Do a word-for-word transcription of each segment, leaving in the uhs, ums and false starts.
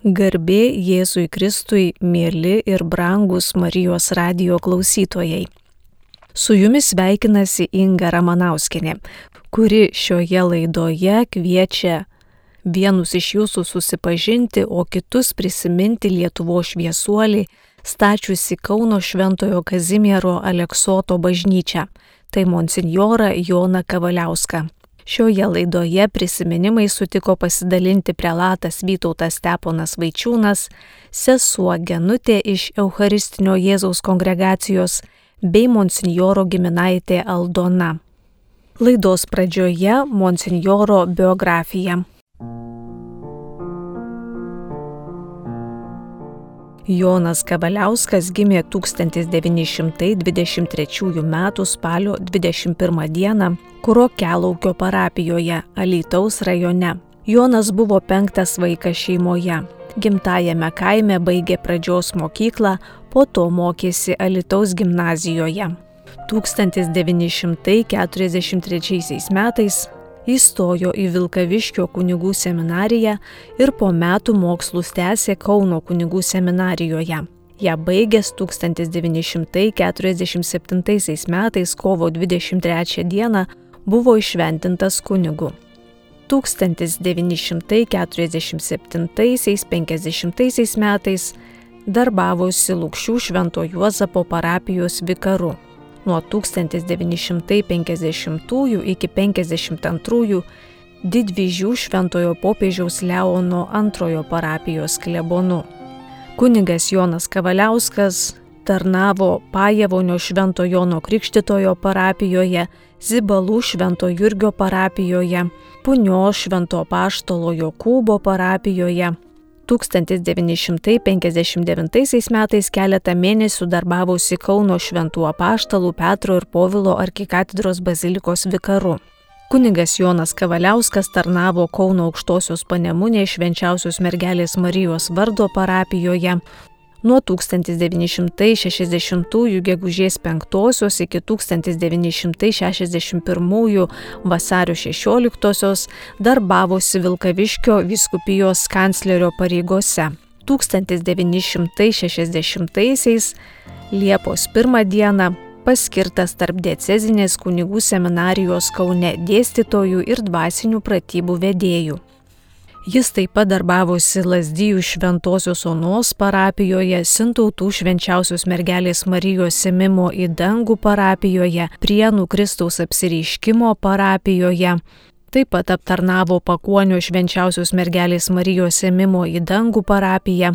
Garbė Jėzui Kristui, mieli ir brangus Marijos radijo klausytojai. Su jumis sveikinasi Inga Ramanauskienė, kuri šioje laidoje kviečia vienus iš jūsų susipažinti, o kitus prisiminti Lietuvos šviesuolį, stačiusi Kauno Šventojo Kazimiero Aleksoto bažnyčią, tai monsinjorą Joną Kavaliauską. Šioje laidoje prisiminimai sutiko pasidalinti prelatas Vytautas Steponas Vaičiūnas, sesuo Genutė iš Eucharistinio Jėzaus kongregacijos bei monsinjoro giminaitė Aldona. Laidos pradžioje monsinjoro biografija. Jonas Kavaliauskas gimė tūkstantis devyni šimtai dvidešimt trečiųjų metų spalio dvidešimt pirmą dieną Kurokelaukio parapijoje, Alytaus rajone. Jonas buvo penktas vaikas šeimoje. Gimtajame kaime baigė pradžios mokyklą, po to mokėsi Alytaus gimnazijoje. tūkstantis devyni šimtai keturiasdešimt trečiaisiais metais įstojo į Vilkaviškio kunigų seminariją ir po metų mokslus tęsė Kauno kunigų seminarijoje. Ja baigęs tūkstantis devyni šimtai keturiasdešimt septintaisiais metais kovo dvidešimt trečią dieną buvo įšventintas kunigu. tūkstantis devyni šimtai keturiasdešimt septintaisiais penkdešimtaisiais metais darbavosi Lukšių Švento Juozapo parapijos vikaru. Nuo tūkstantis devyni šimtai penkiasdešimtųjų iki penkiasdešimt antrųjų Didvyžių Šventojo popiežiaus Leono antrojo parapijos klebonu. Kunigas Jonas Kavaliauskas tarnavo Pajevonio Švento Jono Krikštytojo parapijoje, Zibalų Švento Jurgio parapijoje, Punios Švento Apaštalo Jokūbo parapijoje. tūkstantis devyni šimtai penkiasdešimt devintaisiais metais keletą mėnesių darbavosi Kauno Šventų Apaštalų Petro ir Povilo arkikatedros bazilikos vikaru. Kunigas Jonas Kavaliauskas tarnavo Kauno Aukštosios Panemunės Švenčiausios mergelės Marijos vardo parapijoje nuo tūkstantis devyni šimtai šešiasdešimtųjų gegužės penktosios iki tūkstantis devyni šimtai šešiasdešimt pirmųjų vasario šešioliktosios darbavosi Vilkaviškio vyskupijos kanclerio pareigose. tūkstantis devyni šimtai šešiasdešimtaisiais Liepos pirmą dieną paskirtas tarpdiecezinės kunigų seminarijos Kaune dėstytojų ir dvasinių pratybų vedėjų. Jis taip pat darbavosi Lazdijų Šventosios Onos parapijoje, Sintautų Švenčiausios mergelės Marijos ėmimo į dangų parapijoje, Prienų Kristaus apsireiškimo parapijoje. Taip pat aptarnavo Pakuonio Švenčiausios mergelės Marijos ėmimo į dangų parapiją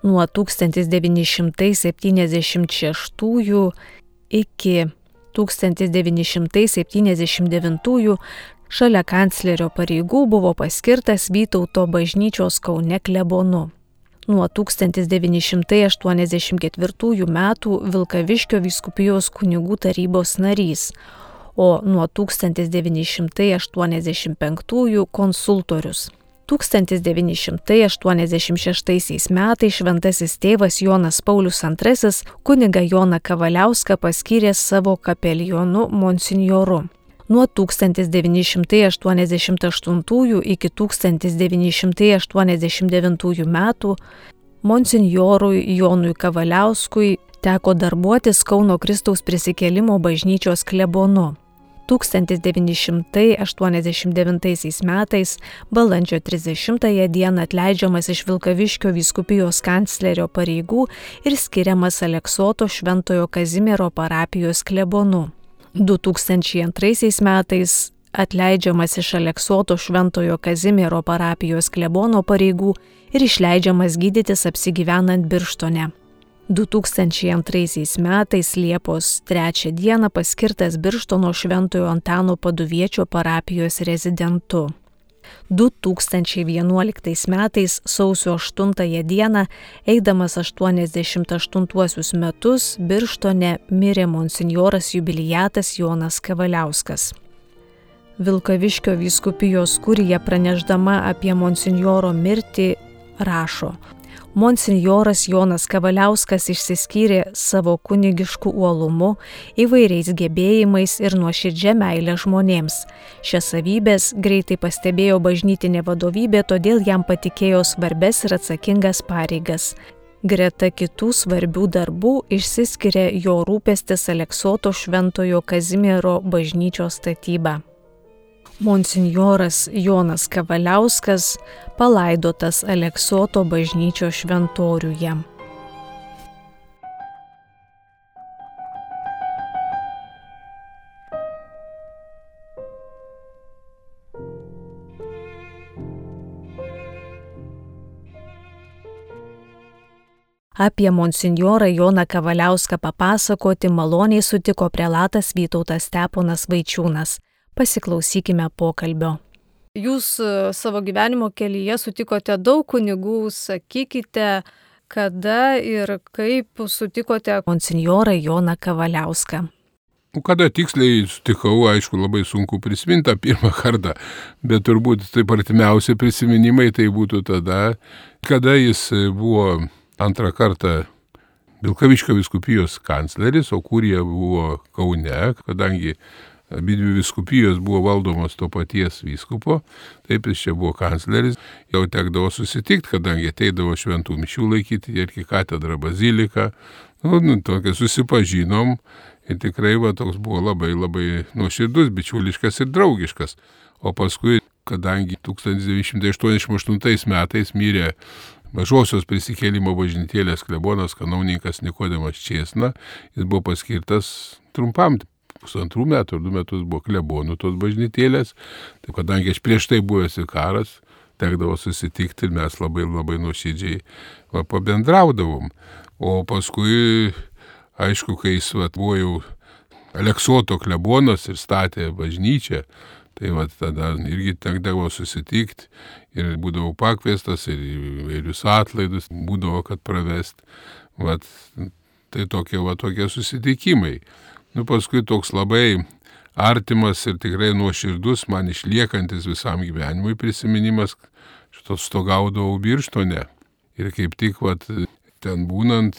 nuo tūkstantis devyni šimtai septyniasdešimt šeštųjų iki tūkstantis devyni šimtai septyniasdešimt devintųjų. Šalia kanclerio pareigų buvo paskirtas Vytauto bažnyčios Kaune klebonu. Nuo tūkstantis devyni šimtai aštuoniasdešimt ketvirtųjų metų Vilkaviškio vyskupijos kunigų tarybos narys, o nuo tūkstantis devyni šimtai aštuoniasdešimt penktųjų konsultorius. tūkstantis devyni šimtai aštuoniasdešimt šeštaisiais metais šventasis tėvas Jonas Paulius antrasis kunigą Joną Kavaliauską paskyrė savo kapelionu monsinjoru. Nuo tūkstantis devyni šimtai aštuoniasdešimt aštuntųjų iki tūkstantis devyni šimtai aštuoniasdešimt devintųjų metų monsinjorui Jonui Kavaliauskui teko darbuotis Kauno Kristaus prisikėlimo bažnyčios klebonu. tūkstantis devyni šimtai aštuoniasdešimt devintaisiais metais balandžio trisdešimtąją dieną atleidžiamas iš Vilkaviškio vyskupijos kanclerio pareigų ir skiriamas Aleksoto Šventojo Kazimiero parapijos klebonu. du tūkstančiai antraisiais metais atleidžiamas iš Aleksoto Šventojo Kazimiero parapijos klebono pareigų ir išleidžiamas gydytis apsigyvenant Birštone. du tūkstančiai antraisiais metais Liepos trečią dieną paskirtas Birštono Šventojo Antano Paduviečio parapijos rezidentu. du tūkstančiai vienuoliktais metais sausio aštuntąją dieną, eidamas aštuoniasdešimt aštuntuosius metus, Birštone mirė monsinjoras jubiliatas Jonas Kavaliauskas. Vilkaviškio vyskupijos kurija pranešdama apie monsinjoro mirtį rašo: Monsinjoras Jonas Kavaliauskas išsiskyrė savo kunigišku uolumu, įvairiais gebėjimais ir nuoširdžia meile žmonėms. Šias savybės greitai pastebėjo bažnytinė vadovybė, todėl jam patikėjo svarbes ir atsakingas pareigas. Greta kitų svarbių darbų išsiskiria jo rūpestis Aleksoto šventojo Kazimiero bažnyčios statyba. Monsinjoras Jonas Kavaliauskas palaidotas Aleksoto bažnyčios šventoriuje. Apie monsinjorą Joną Kavaliauską papasakoti maloniai sutiko prelatas Vytautas Steponas Vaičiūnas. Pasiklausykime pokalbio. Jūs savo gyvenimo kelyje sutikote daug kunigų, sakykite, kada ir kaip sutikote monsinjorą Joną Kavaliauską. Kada tiksliai sutikau, aišku, labai sunku prisiminti tą pirmą kartą, bet turbūt taip artimiausi prisiminimai tai būtų tada, kada jis buvo antrą kartą Vilkaviškio vyskupijos kancleris, o kurija buvo Kaune, kadangi abidvi vyskupijos buvo valdomos to paties vyskupo, taip jis čia buvo kancleris, jau tekdavo susitikti, kadangi ateidavo šventų mišių laikyti ir arkikatedrą baziliką, nu, nu, tokia susipažinom ir tikrai va, toks buvo labai labai nuoširdus, bičiuliškas ir draugiškas. O paskui, kadangi tūkstantis devyni šimtai aštuoniasdešimt aštuntais metais mirė Mažosios prisikėlimo bažnytėlės klebonas kanauninkas Nikodemas Čėsna, jis buvo paskirtas trumpam, pusantrų metų ar du metus buvo klebonų tos bažnytėlės, tai kadangi aš prieš tai buvęs vikaras, tekdavo susitikti ir mes labai labai nuoširdžiai va, pabendraudavom. O paskui, aišku, kai jis va, buvo jau Aleksoto klebonas ir statė bažnyčią, tai va, tada irgi tekdavo susitikti ir būdavo pakviestas ir įvairius atlaidus būdavo, kad pravest. Va, tai tokie, va, tokie susitikimai. Nu, paskui toks labai artimas ir tikrai nuoširdus, man išliekantis visam gyvenimui prisiminimas, šito stogaudavau Birštone. Ir kaip tik vat, ten būnant,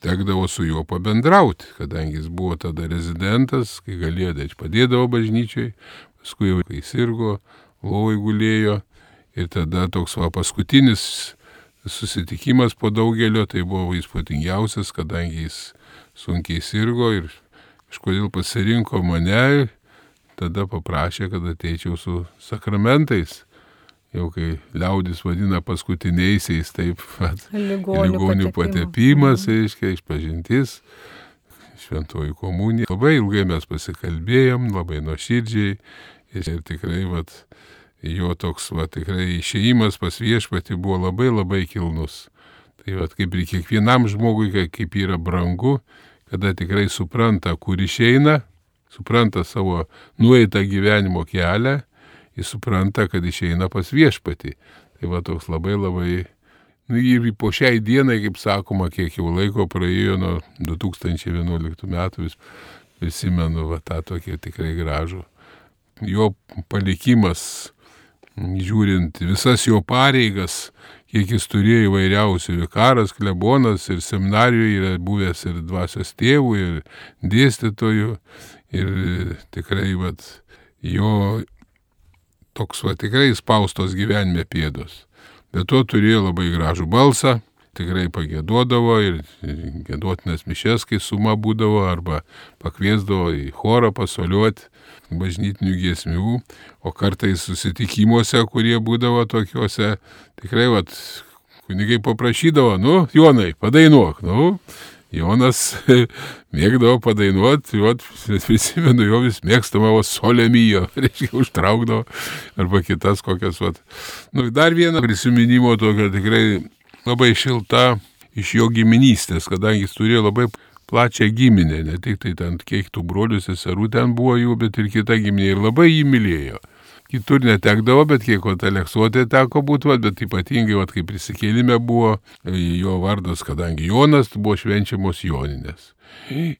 tekdavo su juo pabendrauti, kadangi jis buvo tada rezidentas, kai galėjo, tai padėdavo bažnyčiai, paskui jau kai sirgo, lovoj gulėjo. Ir tada toks va, paskutinis susitikimas po daugelio, tai buvo įspūdingiausias, kadangi jis sunkiai sirgo ir kažkodėl pasirinko mane, tada paprašė, kad ateičiau su sakramentais. Jau kai liaudis vadina paskutiniaisiais, taip pat ligonių patepimas, reiškia, išpažintis, šventoji komunija. Labai ilgai mes pasikalbėjom, labai nuoširdžiai ir tikrai vat, jo toks vat, tikrai išėjimas pas viešpatį buvo labai labai kilnus. Tai vat, kaip ir kiekvienam žmogui, kaip yra brangu, kada tikrai supranta, kur išeina, supranta savo nueitą gyvenimo kelią, jis supranta, kad išeina pas viešpatį. Tai va toks labai labai, nu ir po šiai dienai, kaip sakoma, kiek jau laiko praėjo nuo du tūkstančiai vienuoliktų metų, vis prisimenu va tą tokį tikrai gražų. Jo palikimas, žiūrint visas jo pareigas, kiek jis turėjo įvairiausių, vikaras, klebonas ir seminarijoje yra buvęs ir dvasios tėvų, ir dėstytojų, ir tikrai vat, jo toks va tikrai spaustos gyvenime pėdos. Bet to turėjo labai gražų balsą, tikrai pagėduodavo ir gėduotinas mišes, kai suma būdavo, arba pakviesdavo į chorą pasoliuoti bažnytinių giesmių, o kartais susitikimuose, kurie būdavo tokiuose, tikrai vat, kunigai paprašydavo, nu, Jonai, padainuok, nu, Jonas mėgdavo padainuoti, vat, prisimenu jo vis mėgstamavo solemijo, reiškia, užtraukdavo, arba kitas kokias, vat. Nu, dar vieną prisiminimo tokio tikrai labai šilta iš jo giminystės, kadangi jis turėjo labai plačią giminę, ne tik tai ten kiek tų brolių seserų ten buvo jų, bet ir kita giminė ir labai jį mylėjo. Kitur netekdavo, bet kiek vat Aleksote teko būti, vat, bet ypatingai, vat, kai prisikėlime buvo jo vardas, kadangi Jonas, buvo švenčiamos Joninės.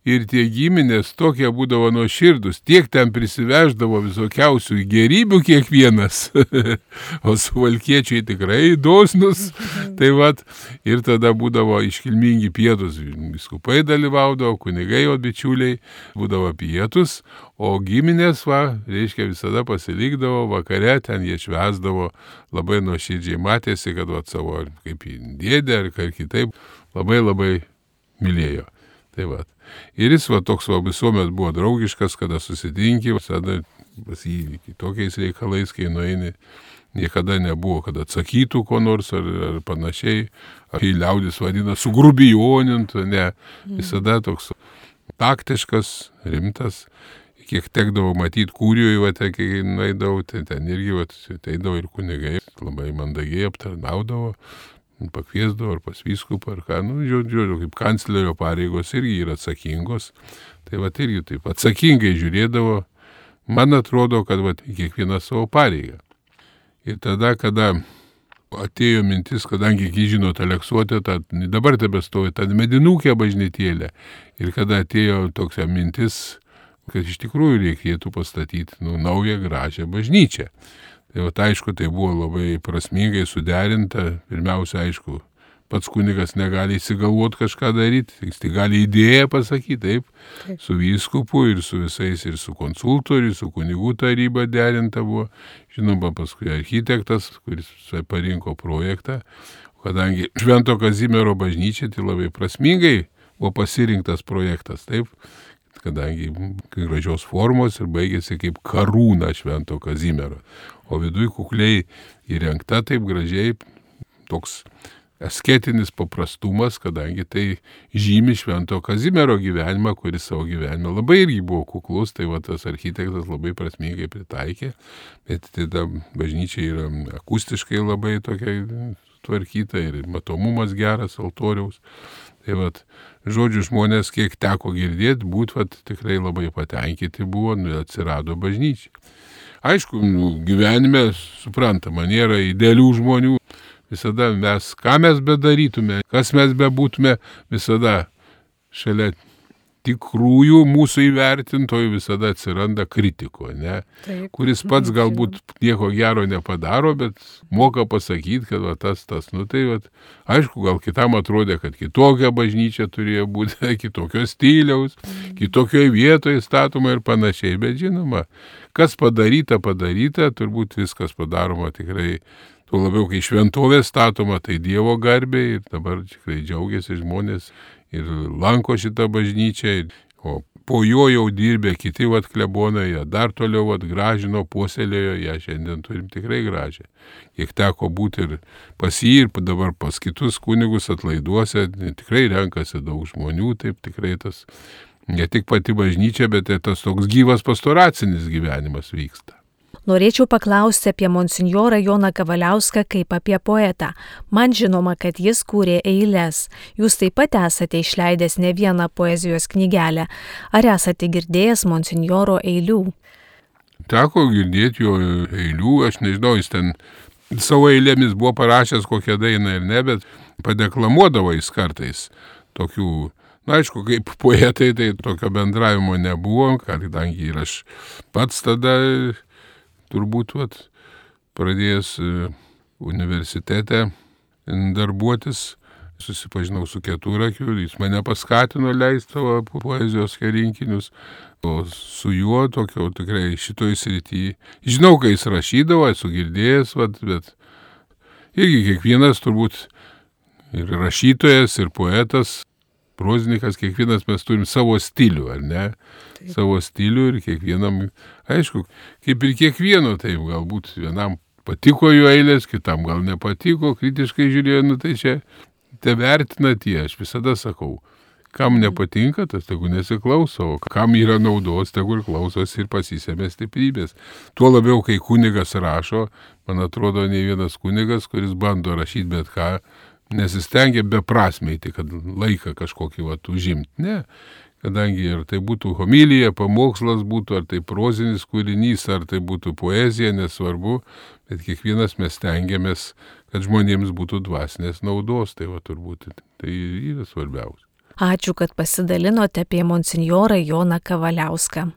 Ir tie giminės tokie būdavo nuoširdus, tiek ten prisiveždavo visokiausių gerybių kiekvienas, o suvalkiečiai tikrai dosnus, Tai vat, ir tada būdavo iškilmingi pietus, vyskupai dalyvaudavo, kunigai, o bičiuliai būdavo pietus, o giminės, va, reiškia, visada pasilikdavo, vakare ten jie švęsdavo, labai nuoširdžiai matėsi, kad va, savo kaip dėdė ar kaip kitaip labai labai mylėjo. Tai va. Ir jis va, toks va, visuomet buvo draugiškas, kada susitinki, visada pas jį tokiais reikalais, kai nueini, niekada nebuvo, kad atsakytų ko nors ar, ar panašiai, ar į liaudis vadina sugrubijonint, ne, visada toks taktiškas, rimtas, kiek tekdavo matyti kūrijoje, va, te, kai nueidavo, tai ten irgi va, ateidavo ir kunigai, labai mandagiai aptarnaudavo, pakviesdavo ar pas vyskupą ar ką, nu, žiūrėjau, kaip kanclerio pareigos irgi yra atsakingos, tai va, irgi taip atsakingai žiūrėdavo, man atrodo, kad va, kiekvieną savo pareigą. Ir tada, kada atėjo mintis, kadangi, kai žinot, Aleksote, ta, dabar tebestovi ta medinukė bažnytėlė, ir kada atėjo tokia mintis, kad iš tikrųjų reikėtų pastatyti nu, naują gražią bažnyčią. Tai va, aišku, tai buvo labai prasmingai suderinta. Pirmiausia, aišku, pats kunigas negali įsigalvoti kažką daryti, jis tai gali idėją pasakyti, taip, taip, su vyskupu ir su visais, ir su konsultu, ir su kunigų taryba derinta buvo. Žinoma, paskui architektas, kuris parinko projektą, kadangi Švento Kazimiero bažnyčia, tai labai prasmingai buvo pasirinktas projektas, taip, kadangi gražios formos ir baigėsi kaip karūna Švento Kazimiero. O viduj kukliai įrengta taip gražiai toks asketinis paprastumas, kadangi tai žymi Švento Kazimiero gyvenimą, kuris savo gyvenimą labai irgi buvo kuklus, tai va tas architektas labai prasmingai pritaikė, bet tai ta bažnyčia yra akustiškai labai tokia tvarkyta ir matomumas geras altoriaus. Tai vat, žodžiu, žmonės, kiek teko girdėti, būt vat, tikrai labai patenkinti buvo, nu, atsirado bažnyčia. Aišku, nu, gyvenime, suprantama, nėra idealių žmonių, visada mes, ką mes bedarytume, kas mes bebūtume, visada šalia tikrųjų mūsų įvertintojų visada atsiranda kritiko, ne? Taip. Kuris pats galbūt nieko gero nepadaro, bet moka pasakyti, kad va, tas, tas, nu tai va, aišku, gal kitam atrodė, kad kitokia bažnyčia turėjo būti, kitokio stiliaus, mm. kitokioje vietoje statoma ir panašiai, bet žinoma, kas padaryta, padaryta, turbūt viskas padaroma tikrai, tuo labiau, kai šventovė statoma, tai Dievo garbė ir dabar tikrai džiaugiasi žmonės ir lanko šitą bažnyčią, o po jo jau dirbė kiti vat klebonai, jie dar toliau vat gražino, puoselėjo, ją šiandien turim tikrai gražią. Kiek teko būti ir pas jį, ir dabar pas kitus kunigus atlaiduose, tikrai renkasi daug žmonių, taip tikrai tas, ne tik pati bažnyčia, bet ir tas toks gyvas pastoracinis gyvenimas vyksta. Norėčiau paklausti apie monsinjorą Joną Kavaliauską kaip apie poetą. Man žinoma, kad jis kūrė eiles. Jūs taip pat esate išleidęs ne vieną poezijos knygelę. Ar esate girdėjęs monsinjoro eilių? Teko girdėti jo eilių, aš nežinau, jis ten savo eilėmis buvo parašęs kokią dainą ir ne, bet padeklamuodavo jis kartais tokių. Na, aišku, kaip poetai, tai tokio bendravimo nebuvo, kadangi ir aš pats tada turbūt vat, pradėjęs universitete darbuotis, susipažinau su Keturakiu, jis mane paskatino leisti savo poezijos rinkinius, o su juo tokio tikrai šitoj srityje. Žinau, kai jis rašydavo, esu girdėjęs, vat, bet irgi kiekvienas turbūt ir rašytojas, ir poetas, prozininkas, kiekvienas mes turim savo stilių, ar ne? Taip. Savo stilių ir kiekvienam, aišku, kaip ir kiekvieno, taip, galbūt vienam patiko jo eilės, kitam gal nepatiko, kritiškai žiūrėjo, nu tai čia te vertina tie, aš visada sakau, kam nepatinka, tas tegu nesiklauso, o kam yra naudos, tegu ir klausos ir pasisėmė stiprybės. Tuo labiau, kai kunigas rašo, man atrodo, ne vienas kunigas, kuris bando rašyti bet ką, nesistengia beprasmiai, tai kad laiką kažkokį vat užimti. Ne, kadangi ar tai būtų homilija, pamokslas būtų, ar tai prozinis kūrinys, ar tai būtų poezija, nesvarbu, bet kiekvienas mes stengiamės, kad žmonėms būtų dvasinės naudos, tai va turbūt tai yra svarbiausia. Ačiū, kad pasidalinote apie monsinjorą Joną Kavaliauską.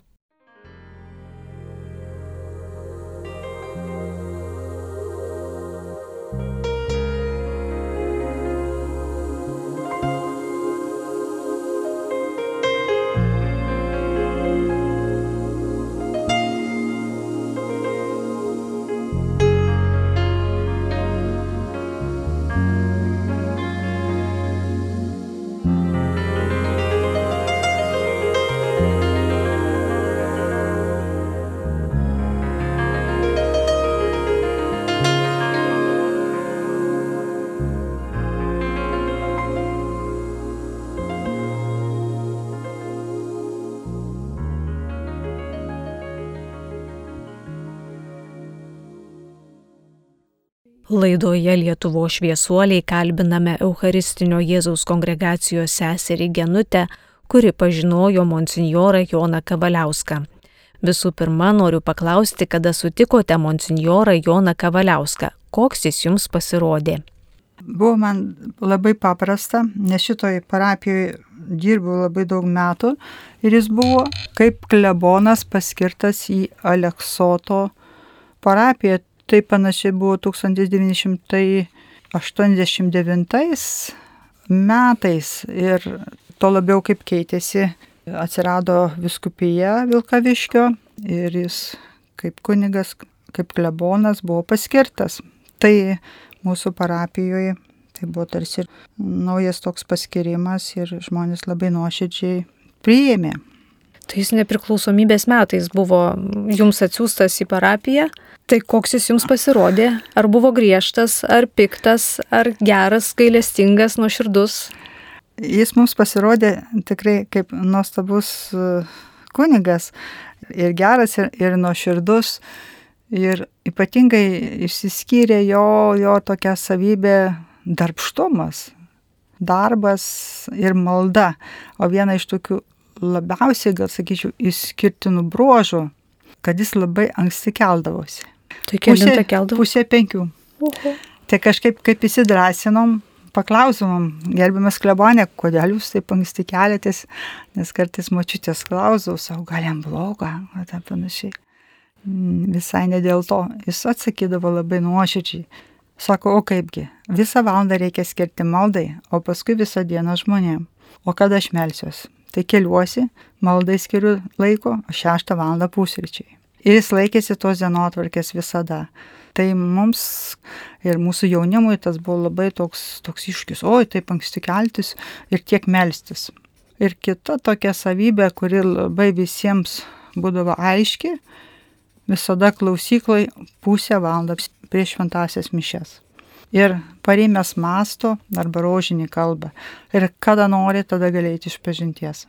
Laidoje Lietuvos šviesuoliai kalbiname Eucharistinio Jėzaus kongregacijos seserį Genutę, kuri pažinojo monsinjorą Joną Kavaliauską. Visų pirma, noriu paklausti, kada sutikote monsinjorą Joną Kavaliauską. Koks jis jums pasirodė? Buvo man labai paprasta, nes šitoj parapijoje dirbau labai daug metų ir jis buvo kaip klebonas paskirtas į Aleksoto parapiją. Tai panašiai buvo tūkstantis devyni šimtai aštuoniasdešimt devintais metais ir to labiau kaip keitėsi, atsirado vyskupija Vilkaviškio ir jis kaip kunigas, kaip klebonas buvo paskirtas. Tai mūsų parapijoje tai buvo tarsi naujas toks paskirimas ir žmonės labai nuoširdžiai priėmė. Tai jis nepriklausomybės metais buvo jums atsiųstas į parapiją. Tai koks jis jums pasirodė? Ar buvo griežtas, ar piktas, ar geras, gailestingas, nuoširdus? Jis mums pasirodė tikrai kaip nuostabus kunigas. Ir geras, ir, ir nuoširdus. Ir ypatingai išsiskyrė jo, jo tokia savybė darbštumas, darbas ir malda. O viena iš tokių labiausiai, gal sakyčiau, išskirtinų bruožų, kad jis labai anksti keldavosi. Tai kelintą keldavo? Pusė penkių. Uhu. Tai kažkaip kaip įsidrasinom, paklausimom, gerbiamas klebonė, kodėl jūs taip anksti keliatės, nes kartais močiutės klausau, savo gal jam bloga, ar taip panašiai. Visai ne dėl to. Jis atsakydavo labai nuoširdžiai. Sako, o kaipgi, visą valandą reikia skirti maldai, o paskui visą dieną žmonėm. O kada aš melsiuosi? Tai keliuosi, maldai skiriu laiko, o šeštą valandą pusryčiai. Ir jis laikėsi tos dienotvarkės visada. Tai mums ir mūsų jaunimui tas buvo labai toks, toks iššūkis. Oi, taip anksti keltis ir tiek melstis. Ir kita tokia savybė, kuri labai visiems būdavo aiški, visada klausykloj pusę valandą prieš šventąsias mišias. Ir parėmęs masto arba rožinį kalbą. Ir kada nori, tada galėti iš pažinties.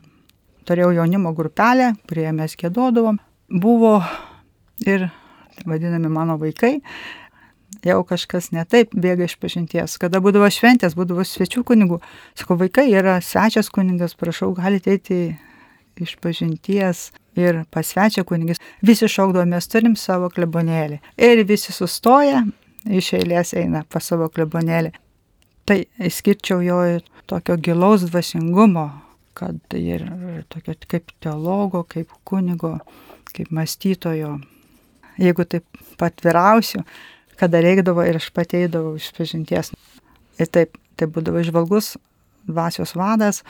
Turėjau jaunimo grupelę, kurioje mes giedodavom. Buvo ir vadinami mano vaikai, jau kažkas ne taip bėga iš pažinties. Kada būdavo šventės, būdavo svečių kunigų. Sako, vaikai yra svečias kunigas, prašau, galite eiti iš pažinties ir pas svečią kunigis. Visi šaukdavo, mes turim savo klebonėlį. Ir visi sustoja, iš eilės eina pas savo klebonėlį. Tai išskirčiau jo tokio gilaus dvasingumo, kad ir tokio kaip teologo, kaip kunigo, kaip mąstytojo. Jeigu taip patvirausiu, kada reikdavo ir aš pateidavau iš pažinties. Ir taip, tai būdavo žvalgus dvasios vadas,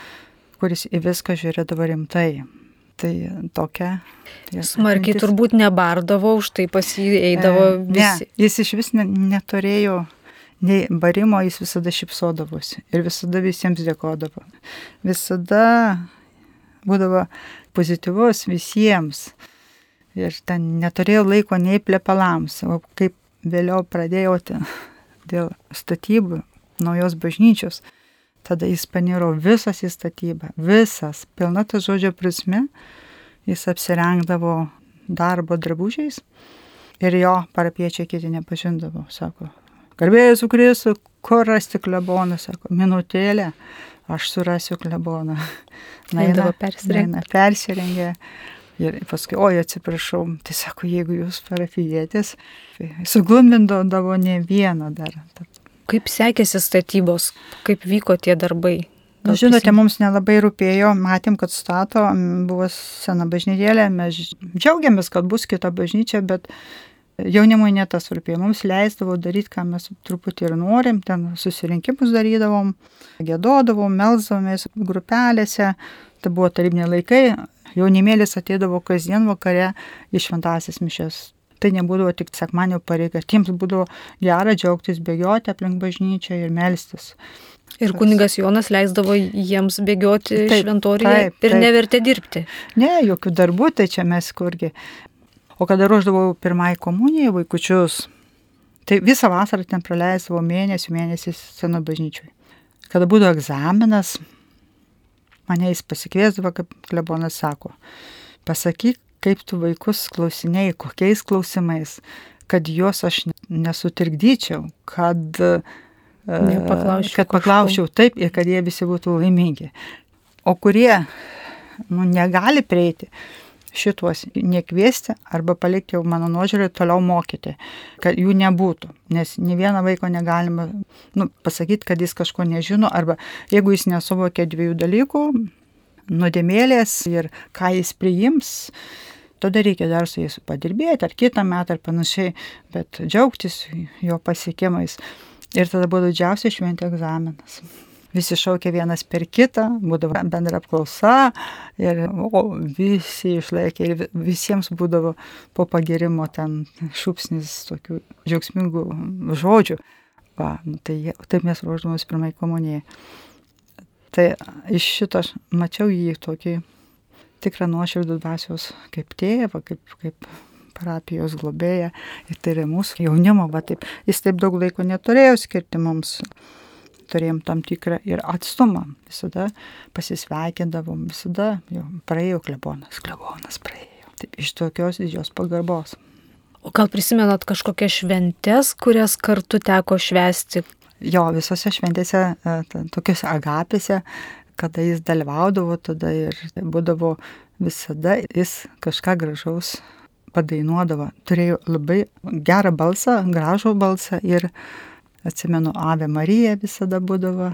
kuris į viską žiūrėdavo rimtai. Tai tokia. Tai smarkiai mintis. Turbūt nebardavo, už tai pas jį eidavo e, visi. Ne, jis iš vis ne, neturėjo nei barimo, jis visada šypsodavosi ir visada visiems dėkodavo. Visada būdavo pozityvus visiems ir ten neturėjau laiko nei plepalams. O kaip vėliau pradėjau dėl statybų naujos bažnyčios, tada jis paniro visas į statybą, visas, pilna ta žodžio prasme, jis apsirengdavo darbo drabužiais ir jo parapiečiai kiti nepažindavo, sako. Garbė Jėzų Kristų, kur rasti kleboną, sako, minutėlę, aš surasiu kleboną. Naina, persirengė. persirengė. Ir paskui, oi, atsiprašau, tai sako, jeigu jūs parapijietės, suglumbindavo ne vieną dar. Kaip sekėsi statybos, kaip vyko tie darbai? Na, žinote, mums nelabai rūpėjo, matėm, kad stato, buvo sena bažnytėlė, mes džiaugiamės, kad bus kita bažnyčia, bet jaunimui ne tas rūpėjo. Mums leisdavo daryti, ką mes truputį ir norim, ten susirinkimus darydavom, giedodavom, melsdavomės grupelėse, tai buvo tarybiniai laikai, jaunimėlis ateidavo kasdien vakare į šventąsias mišias. Tai nebūdavo tik sekmadienio pareiga, tiems būdavo gera džiaugtis, bėgioti aplink bažnyčią ir melstis. Ir kunigas Jonas leisdavo jiems bėgioti šventoriuje ir nevertė dirbti. Ne, jokių darbų, tai čia mes kurgi. O kada ruoždavau pirmąjį komuniją vaikučius, tai visą vasarą ten praleisdavau mėnesių, mėnesius seno bažnyčiui. Kada būdavo egzaminas, mane jis pasikviesdavo, kaip klebonas sako, pasakyk, kaip tu vaikus klausinėjai, kokiais klausimais, kad juos aš nesutrikdyčiau, kad, Nepaklausčiau kad paklausčiau taip ir kad jie visi būtų laimingi. O kurie nu, negali prieiti, šituos nekviesti arba palikti jau mano nuožiūrį toliau mokyti, kad jų nebūtų. Nes ne vieną vaiko negalima nu, pasakyti, kad jis kažko nežino, arba jeigu jis nesuvokia dviejų dalykų, nuodėmėlės ir ką jis priims, tada reikia dar su jais padirbėti, ar kitą metą, ar panašiai, bet džiaugtis jo pasiekimais. Ir tada buvo didžiausia šventė egzaminas. Visi šaukė vienas per kitą, būdavo bendra apklausa ir o, visi išlaikė ir visiems būdavo po pagirimo ten šūpsnis tokių džiaugsmingų žodžių. Va, tai taip mes ruošdavomės pirmai komunijai. Tai iš šito aš mačiau jį tokį tikrą nuoširdų dvasios kaip tėvą, kaip, kaip parapijos globėją. Ir tai yra mūsų jaunimo, va taip. Jis taip daug laiko neturėjo skirti mums. Turėjom tam tikrą ir atstumą. Visada pasisveikindavom, visada jau praėjo klebonas, klebonas praėjo. Taip, iš tokios didžios pagarbos. O gal prisimenat kažkokias šventes, kurias kartu teko švęsti? Jo, visose šventėse, tokiuose agapėse, kada jis dalyvaudavo, tada ir būdavo visada jis kažką gražaus padainuodavo. Turėjo labai gerą balsą, gražų balsą ir atsimenu, Ave Marija visada būdavo,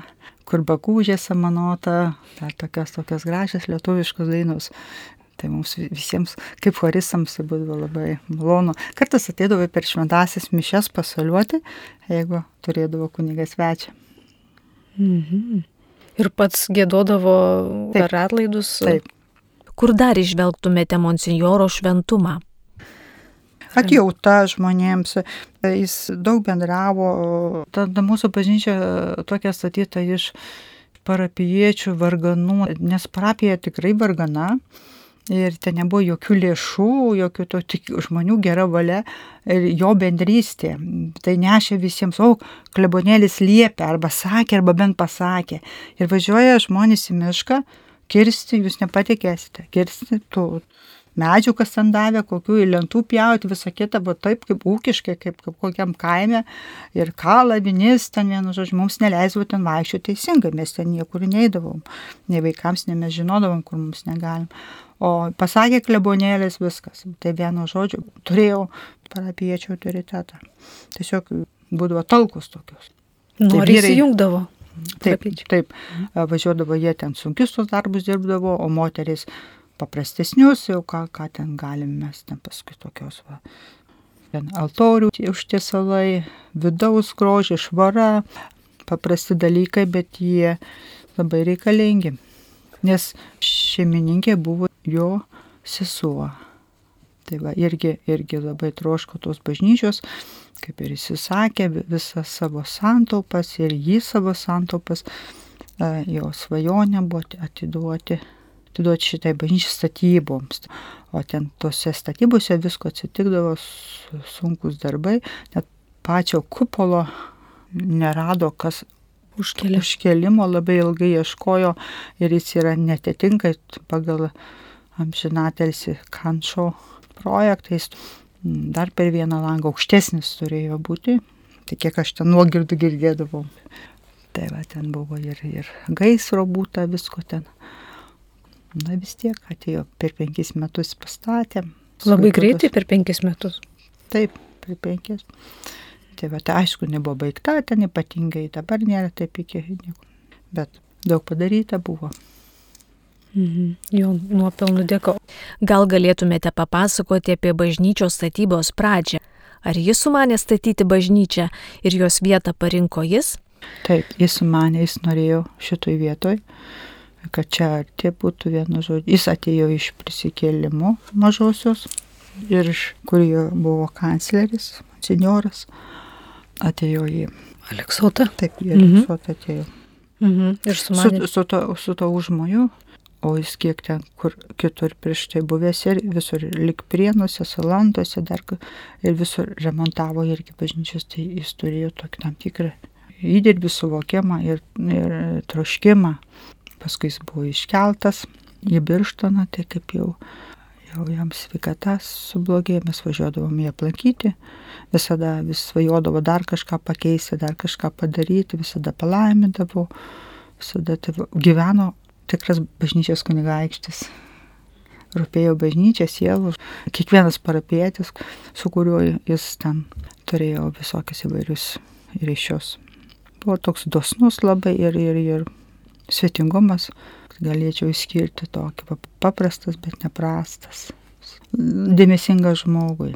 kur bakūžė samanota, dar tokios, tokios gražios lietuviškos dainos. Tai mums visiems, kaip choristams, tai būdavo labai malonu. Kartais ateidavo per šventąsias mišias pasaliuoti, jeigu turėdavo kunigas svečią. Mhm. Ir pats giedodavo Taip. per atlaidus? Taip. Kur dar išvelgtumėte monsinjoro šventumą? Atjauta žmonėms, jis daug bendravo, tada mūsų bažnyčia tokia statyta iš parapijiečių varganų, nes parapija tikrai vargana ir ten nebuvo jokių lėšų, jokių to tik žmonių gera valia ir jo bendrystė. Tai nešė visiems, o klebonėlis liepė, arba sakė, arba bent pasakė. Ir važiuoja žmonės į mišką, kirsti, jūs nepatikėsite, kirsti tų medžių, kas ten davė, kokių į lentų pjauti, visą kitą, buvo taip kaip ūkiškai, kaip, kaip kokiam kaime. Ir kalą, vinis, ten vienu žodžiu, mums neleisdavo ten vaikščioti teisingai, mes ten niekur neįdavom. Nei vaikams, nei mes žinodavom, kur mums negalim. O pasakė klebonėlis viskas. Tai vienu žodžiu, turėjau parapijiečių autoritetą. Tiesiog būdavo talkos tokios. Nori įsijungdavo. Taip, taip, važiuodavo jie ten sunkius tos darbus dirbdavo, o moteris paprastesnius, jau ką, ką ten galim mes ten paskui tokios va. Ten altorių užtiesalai, vidaus grožį, švara, paprasti dalykai, bet jie labai reikalingi. Nes šeimininkė buvo jo sesuo. Tai va, irgi, irgi labai troško tos bažnyčios, kaip ir jis sakė, visas savo santaupas ir jį savo santaupas, jo svajonė buvo atiduoti. atiduoti šitai bažnyčiai statyboms. O ten tose statybose visko atsitikdavo sunkus darbai, net pačio kupolo nerado, kas Užkelė. užkelimo labai ilgai ieškojo ir jis yra netitinka pagal amžinatilsį Kančo projektais. Dar per vieną langą aukštesnis turėjo būti, tai kiek aš ten nuogirdų girdėdavau. Tai va, ten buvo ir, ir gaisro būta, visko ten. Na vis tiek atėjo per penkis metus pastatė. Labai greitai per penkis metus. Taip, per penkis. Tai va, tai aišku, nebuvo baigta, ten ypatingai dabar nėra taip iki nieko. Bet daug padaryta buvo. Mhm. Jo nuopelnų dėka. Gal galėtumėte papasakoti apie bažnyčios statybos pradžią? Ar jis sumanė statyti bažnyčią ir jos vietą parinko jis? Taip, jis sumanė, jis norėjo šitoj vietoj, kad čia arti būtų vienu žodžiu. Jis atėjo iš prisikėlimo mažosios ir iš kur jo buvo kancleris, senjoras, atėjo į Aleksotą? Taip, į Aleksotą atėjo. Mhm. Ir sumanė. Su, su, to, su to užmoju, o jis kiek ten, kur kitur prieš tai buvęs ir visur lik Prienuose, Salantuose dar ir visur remontavo irgi bažnyčios, tai jis turėjo tokį tam tikrą įdirbį, suvokimą ir, ir troškimą. Paskui jis buvo iškeltas į Birštoną, tai kaip jau, jau jam sveikata sublogėjo, mes važiuodavom jį aplankyti, visada vis svajodavo dar kažką pakeisti, dar kažką padaryti, visada palaimindavo, visada tai gyveno tikras bažnyčios kunigaikštis. Rūpėjo bažnyčia, sielų, kiekvienas parapietis, su kuriuo jis ten turėjo visokius įvairius ryšius. Buvo toks dosnus labai ir, ir, ir svetingumas, galėčiau išskirti tokį paprastas, bet neprastas. Dėmesingas žmogui.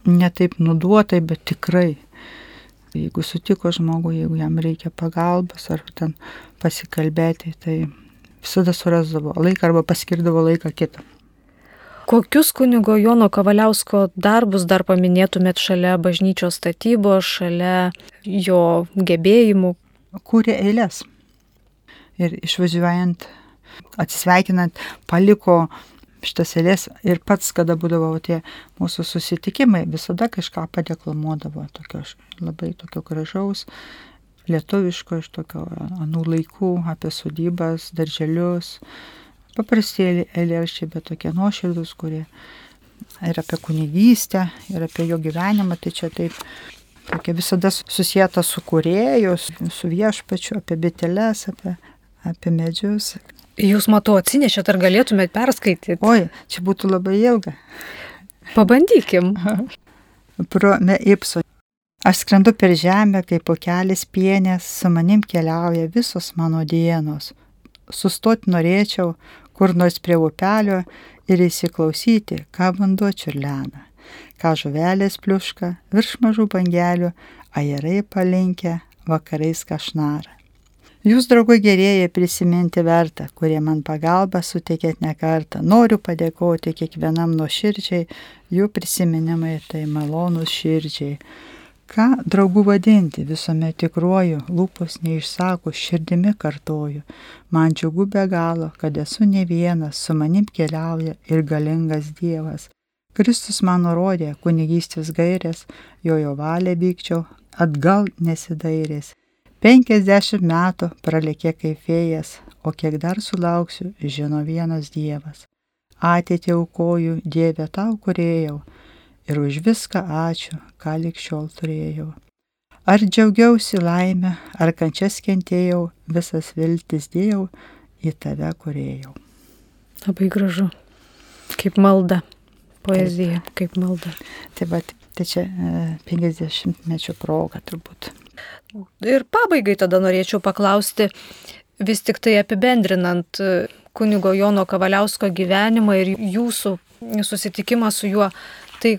Ne taip nuduotai, bet tikrai. Jeigu sutiko žmogui, jeigu jam reikia pagalbos ar ten pasikalbėti, tai visada surasdavo laiką arba paskirdavo laiką kitą. Kokius kunigo Jono Kavaliausko darbus dar paminėtumėt šalia bažnyčios statybos, šalia jo gebėjimų? Kūrė eilės. Ir išvažiuojant, atsisveikinant, paliko šitas eilės ir pats, kada būdavo tie mūsų susitikimai, visada kažką padeklamuodavo, tokio, labai tokio gražaus, lietuviško, iš tokio anų laikų, apie sodybas, darželius. Paprastėlį eilėraščiai, bet tokie nuoširdūs, kurie ir apie kunigystę, ir apie jo gyvenimą, tai čia taip tokia visada susijęta su kūrėju, su viešpačiu, apie biteles, apie, apie medžius. Jūs, matau, atsinešėt, ar galėtumėt perskaityti? Oi, čia būtų labai ilga. Pabandykim. Pro me ipso. Aš skrendu per žemę, kaip pokelis pienės, su manim keliauja visos mano dienos. Sustoti norėčiau, kur nors prie upelio ir įsiklausyti, ką vanduo čiurlena, ką žuvelės pliuška, virš mažų bangelių, ajerai palinkę, vakarais kažnara. Jūs, draugai gerieji, prisiminti verta, kurie man pagalbą suteikėt ne kartą. Noriu padėkoti kiekvienam nuoširdžiai, jų prisiminimai tai malonūs širdžiai. Ką draugų vadinti, visuomet tikruoju, lūpos neišsako, širdimi kartoju. Man džiugu be galo, kad esu ne vienas, su manim keliauja ir galingas Dievas. Kristus man nurodė kunigystės gairės, jo jo valią vykčiau, atgal nesidairės. Penkiasdešimt metų pralėkė kaip vėjas, o kiek dar sulauksiu, žino vienas Dievas. Ateitį aukoju, Dieve tau kurėjau, ir už viską ačiū, ką lig šiol turėjau. Ar džiaugiausi laimę, ar kančias kentėjau, visas viltis dėjau, į tave kurėjau. Labai gražu. Kaip malda. Poezija, taip. Kaip malda. Taip, bet tai čia penkiasdešimtmečio proga turbūt. Ir pabaigai tada norėčiau paklausti, vis tik tai apibendrinant kunigo Jono Kavaliausko gyvenimą ir jūsų susitikimą su juo, tai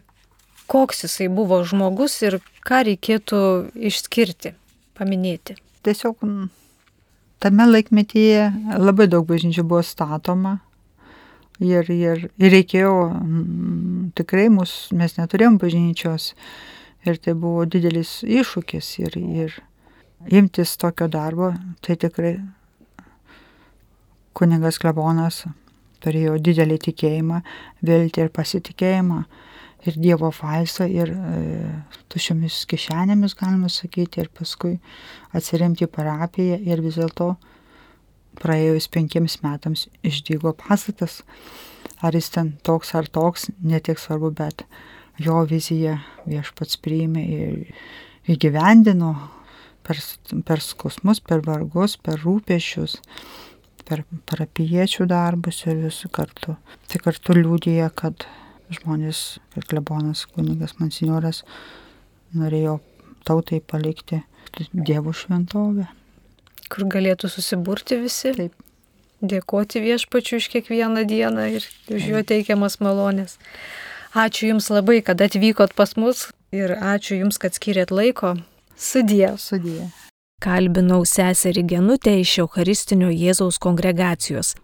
koks jisai buvo žmogus ir ką reikėtų išskirti, paminėti? Tiesiog tame laikmetyje labai daug bažnyčių buvo statoma ir, ir, ir reikėjo, tikrai mus, mes neturėjom bažnyčios ir tai buvo didelis iššūkis ir, ir imtis tokio darbo, tai tikrai kunigas klebonas turėjo didelį tikėjimą, viltį ir pasitikėjimą. Ir Dievo falsą, ir e, tušiomis kišenėmis, galima sakyti, ir paskui atsiremti į parapiją ir vis dėlto praėjus penkiems metams išdygo pastatas. Ar jis ten toks ar toks, netiek svarbu, bet jo viziją viešpats priėmė ir įgyvendino per, per skausmus, per vargus, per rūpesčius, per parapijiečių darbus ir visų kartu. Tai kartu liudija, kad žmonės, kaip klebonas kunigas monsinjoras, norėjo tautai palikti Dievo šventovę. Kur galėtų susiburti visi, taip, dėkoti viešpačiui už kiekvieną dieną ir už jo teikiamas malonės. Ačiū Jums labai, kad atvykot pas mus ir ačiū Jums, kad skyrėt laiko. Sudie. Sudie. Kalbinau seserį Genutę iš Eucharistinio Jėzaus kongregacijos.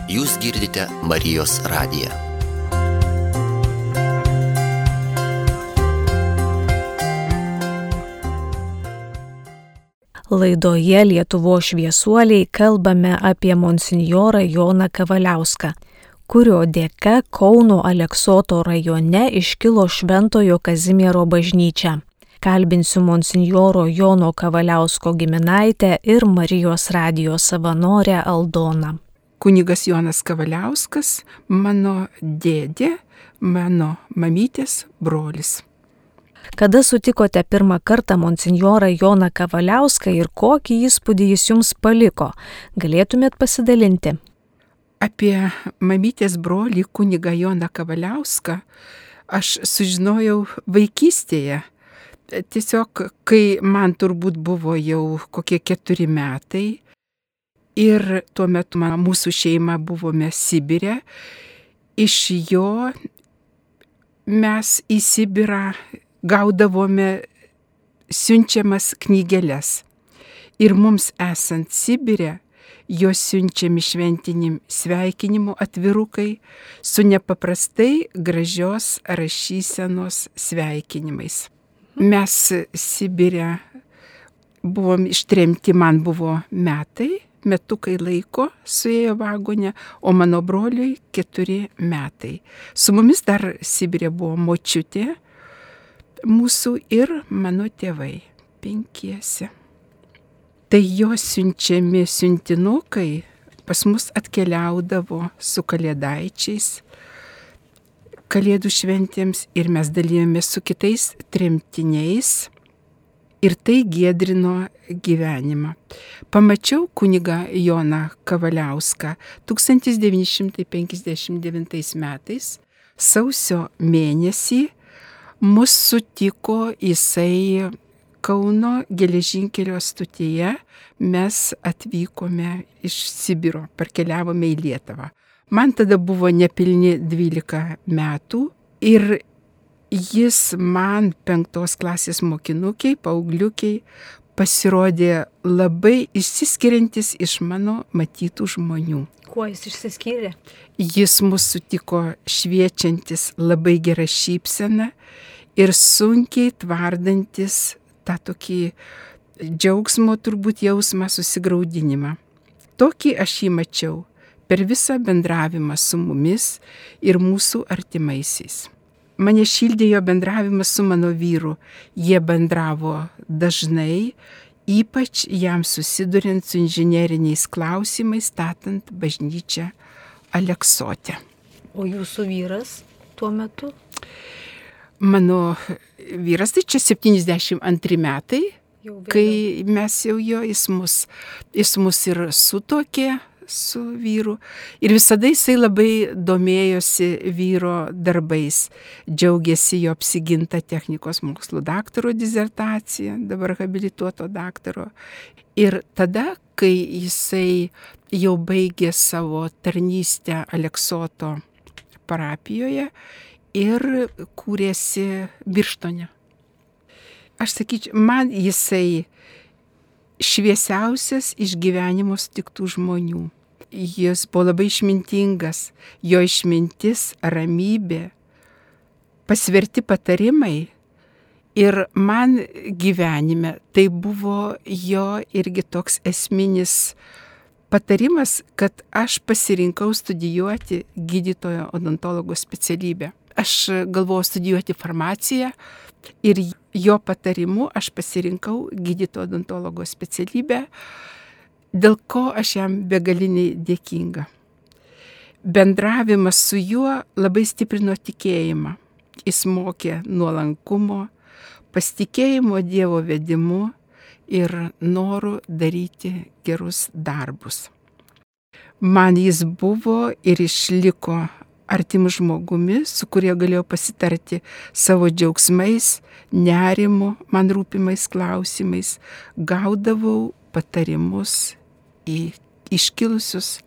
Jūs girdite Marijos radiją. Laidoje Lietuvos šviesuoliai kalbame apie monsinjorą Joną Kavaliauską, kurio dėka Kauno Aleksoto rajone iškilo Šventojo Kazimiero bažnyčia. Kalbinsiu monsinjoro Jono Kavaliausko giminaitę ir Marijos radijo savanorę Aldoną. Kunigas Jonas Kavaliauskas, mano dėdė, mano mamytės brolis. Kada sutikote pirmą kartą monsinjorą Joną Kavaliauską ir kokį įspūdį jis jums paliko? Galėtumėt pasidalinti? Apie mamytės brolį kunigą Joną Kavaliauską aš sužinojau vaikystėje. Tiesiog, kai man turbūt buvo jau kokie keturi metai ir tuo metu mūsų šeima buvome Sibire, iš jo mes į Sibirą gaudavome siunčiamas knygeles. Ir mums esant Sibire, jos siunčiami šventinim sveikinimu atvirukai su nepaprastai gražios rašysenos sveikinimais. Mes Sibire buvom ištremti, man buvo metai, metukai laiko suėjo vagone, o mano broliui keturi metai. Su mumis dar Sibire buvo močiutė mūsų ir mano tėvai, penkiese. Tai jo siunčiami siuntinukai pas mus atkeliaudavo su kalėdaičiais kalėdų šventėms ir mes dalijomės su kitais tremtiniais ir tai giedrino gyvenimą. Pamačiau kunigą Joną Kavaliauską tūkstantis devyni šimtai penkiasdešimt devintais metais, sausio mėnesį, mus sutiko jisai Kauno geležinkelio stotyje, mes atvykome iš Sibiro, parkeliavome į Lietuvą. Man tada buvo nepilni dvylika metų ir jis man penktos klasės mokinukiai, paaugliukiai pasirodė labai išsiskiriantis iš mano matytų žmonių. Kuo jis išsiskyrė? Jis mus sutiko šviečiantis labai gerą šypseną ir sunkiai tvardantis tą tokį džiaugsmo turbūt jausmą, susigraudinimą. Tokį aš jį mačiau per visą bendravimą su mumis ir mūsų artimaisiais. Mane šildė jo bendravimas su mano vyru. Jie bendravo dažnai, ypač jam susiduriant su inžineriniais klausimais, statant bažnyčią Aleksote. O jūsų vyras tuo metu? Mano vyras, tai čia septyniasdešimt antri metai, kai mes jau jo, jis mus, jis mus ir sutuokė su vyru. Ir visada jisai labai domėjosi vyro darbais, džiaugiasi jo apsiginta technikos mokslų daktaro disertacija, dabar habilituoto daktaro. Ir tada, kai jisai jau baigė savo tarnystę Aleksoto parapijoje, ir kūrėsi Birštone. Aš sakyčiau, man jisai šviesiausias iš gyvenimo sutiktų žmonių. Jis buvo labai išmintingas, jo išmintis, ramybė, pasverti patarimai. Ir man gyvenime tai buvo jo irgi toks esminis patarimas, kad aš pasirinkau studijuoti gydytojo odontologo specialybę. Aš galvojau studijuoti farmaciją ir jo patarimu aš pasirinkau gydytojo odontologo specialybę, dėl ko aš jam begaliniai dėkinga. Bendravimas su juo labai stiprino tikėjimą. Jis mokė nuolankumo, pasitikėjimo Dievo vedimu ir noru daryti gerus darbus. Man jis buvo ir išliko artimu žmogumi, su kuriuo galėjau pasitarti savo džiaugsmais, nerimu, man rūpimais klausimais, gaudavau patarimus į iškilusius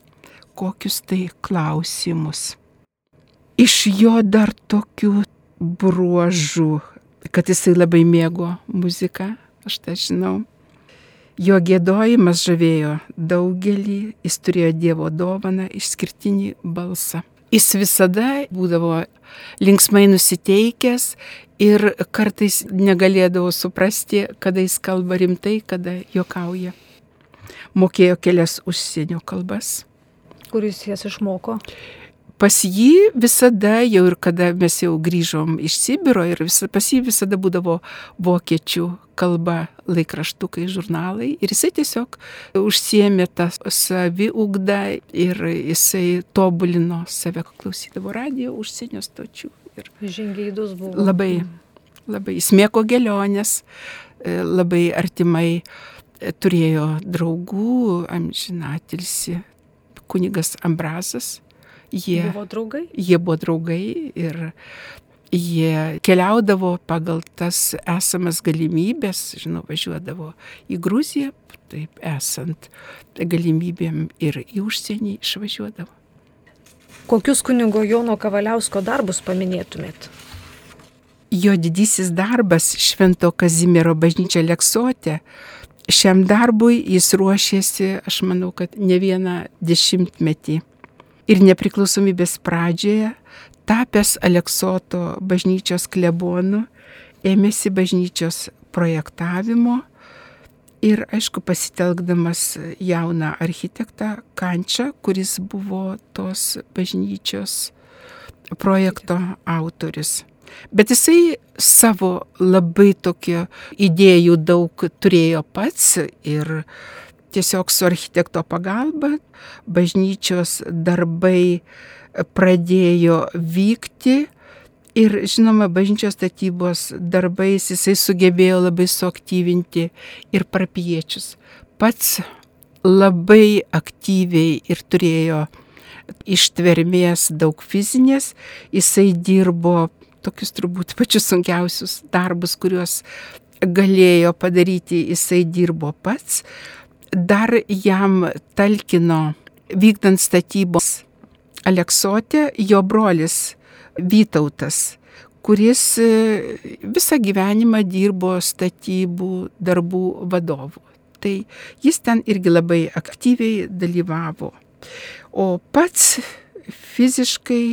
kokius tai klausimus. Iš jo dar tokių bruožų, kad jisai labai mėgo muziką, aš tai žinau. Jo giedojimas žavėjo daugelį, jis turėjo Dievo dovaną, išskirtinį balsą. Jis visada būdavo linksmai nusiteikęs ir kartais negalėdavo suprasti, kada jis kalba rimtai, kada juokauja. Mokėjo kelias užsienio kalbas. Kur jūs jas išmoko? Pas jį visada, jau ir kada mes jau grįžom iš Sibiro, ir visa, pas jį visada būdavo vokiečių kalba, laikraštukai, žurnalai. Ir jisai tiesiog užsiėmė tą saviugdą ir jisai tobulino save, klausydavo radijo, užsienio stočių. Ir žingeidus buvo. Labai, labai. Jis mėgo gelionės, labai artimai turėjo draugų, amžinatilsį kunigas Ambrazas. Jie buvo draugai? Jie buvo draugai ir jie keliaudavo pagal tas esamas galimybės, žinau, važiuodavo į Gruziją, taip esant galimybėm ir į užsienį išvažiuodavo. Kokius kunigo Jono Kavaliausko darbus paminėtumėt? Jo didysis darbas Švento Kazimiero bažnyčia Aleksote. Šiam darbui jis ruošėsi, aš manau, kad ne vieną dešimtmetį. Ir nepriklausomybės pradžioje, tapęs Aleksoto bažnyčios klebonu, ėmėsi bažnyčios projektavimo ir, aišku, pasitelkdamas jauną architektą Kančą, kuris buvo tos bažnyčios projekto autorius. Bet jisai savo labai tokio idėjų daug turėjo pats ir tiesiog su architekto pagalba bažnyčios darbai pradėjo vykti ir, žinoma, bažnyčios statybos darbais jisai sugebėjo labai suaktyvinti ir parapijiečius. Pats labai aktyviai ir turėjo ištvermės daug fizinės, jisai dirbo tokius turbūt pačius sunkiausius darbus, kuriuos galėjo padaryti, jisai dirbo pats. Dar jam talkino vykdant statybos Aleksote jo brolis Vytautas, kuris visą gyvenimą dirbo statybų darbų vadovu. Tai jis ten irgi labai aktyviai dalyvavo. O pats fiziškai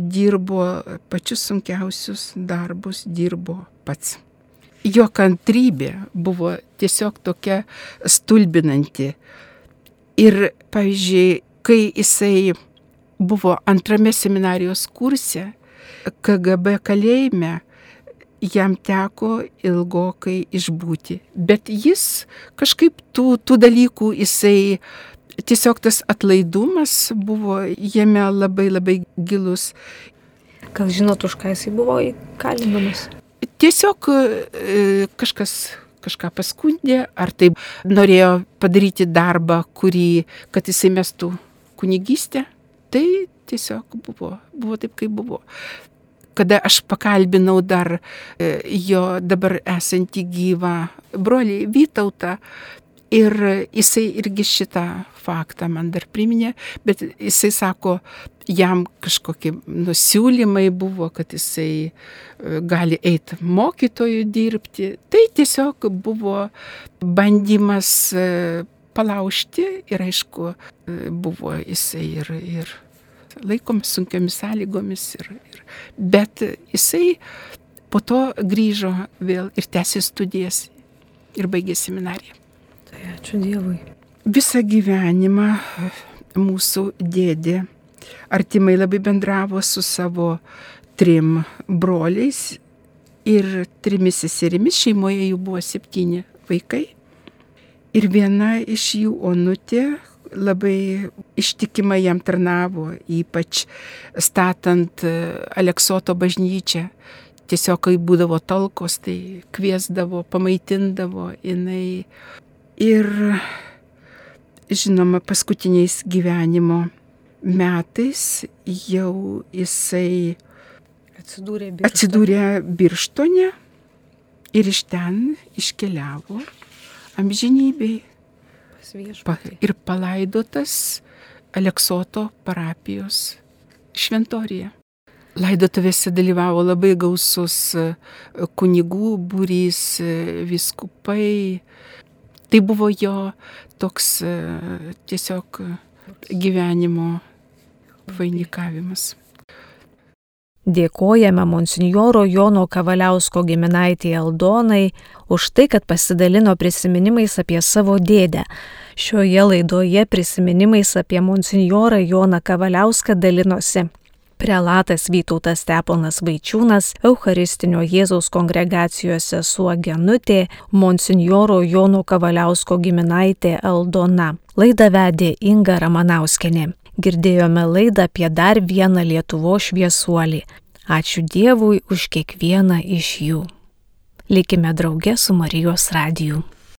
dirbo pačius sunkiausius darbus, dirbo pats. Jo kantrybė buvo tiesiog tokia stulbinanti. Ir, pavyzdžiui, kai jisai buvo antrame seminarijos kurse, K G B kalėjime, jam teko ilgokai išbūti. Bet jis kažkaip tų, tų dalykų, jisai tiesiog tas atlaidumas buvo jame labai labai gilus. Gal žinot, už ką jisai buvo įkalinamas? Tiesiog kažkas kažką paskundė, ar taip norėjo padaryti darbą, kurį, kad jisai mestų kunigystę. Tai tiesiog buvo, buvo taip, kaip buvo. Kada aš pakalbinau dar jo dabar esantį gyvą brolį Vytautą, ir jisai irgi šitą faktą man dar priminė, bet jisai sako, jam kažkokie nusiūlymai buvo, kad jisai gali eiti mokytojų dirbti. Tai tiesiog buvo bandymas palaužti ir, aišku, buvo jisai ir, ir laikomas sunkiomis sąlygomis. Ir, ir, bet jisai po to grįžo vėl ir tęsė studijas ir baigė seminariją. Tai ačiū Dievui. Visą gyvenimą mūsų dėdė artimai labai bendravo su savo trim broliais ir trimis seserimis, šeimoje jų buvo septyni vaikai. Ir viena iš jų, Onutė, labai ištikimai jam tarnavo, ypač statant Aleksoto bažnyčią. Tiesiog, kai būdavo talkos, tai kviesdavo, pamaitindavo jinai. Ir, žinoma, paskutiniais gyvenimo metais jau jisai atsidūrė Birštone, atsidūrė Birštone ir iš ten iškeliavo amžinybei pa, ir palaidotas Aleksoto parapijos šventoriuje. Laidotuvėse dalyvavo labai gausus kunigų būrys, vyskupai. Tai buvo jo toks tiesiog gyvenimo vainikavimas. Dėkojame monsinjoro Jono Kavaliausko giminaitei Aldonai už tai, kad pasidalino prisiminimais apie savo dėdę. Šioje laidoje prisiminimais apie monsinjorą Joną Kavaliauską dalinosi prelatas Vytautas Steponas Vaičiūnas, Eucharistinio Jėzaus kongregacijos sesuo Genutė, monsinjoro Jono Kavaliausko giminaitė Aldona. Laidą vedė Inga Ramanauskienė. Girdėjome laidą apie dar vieną Lietuvos šviesuolį. Ačiū Dievui už kiekvieną iš jų. Likime drauge su Marijos radiju.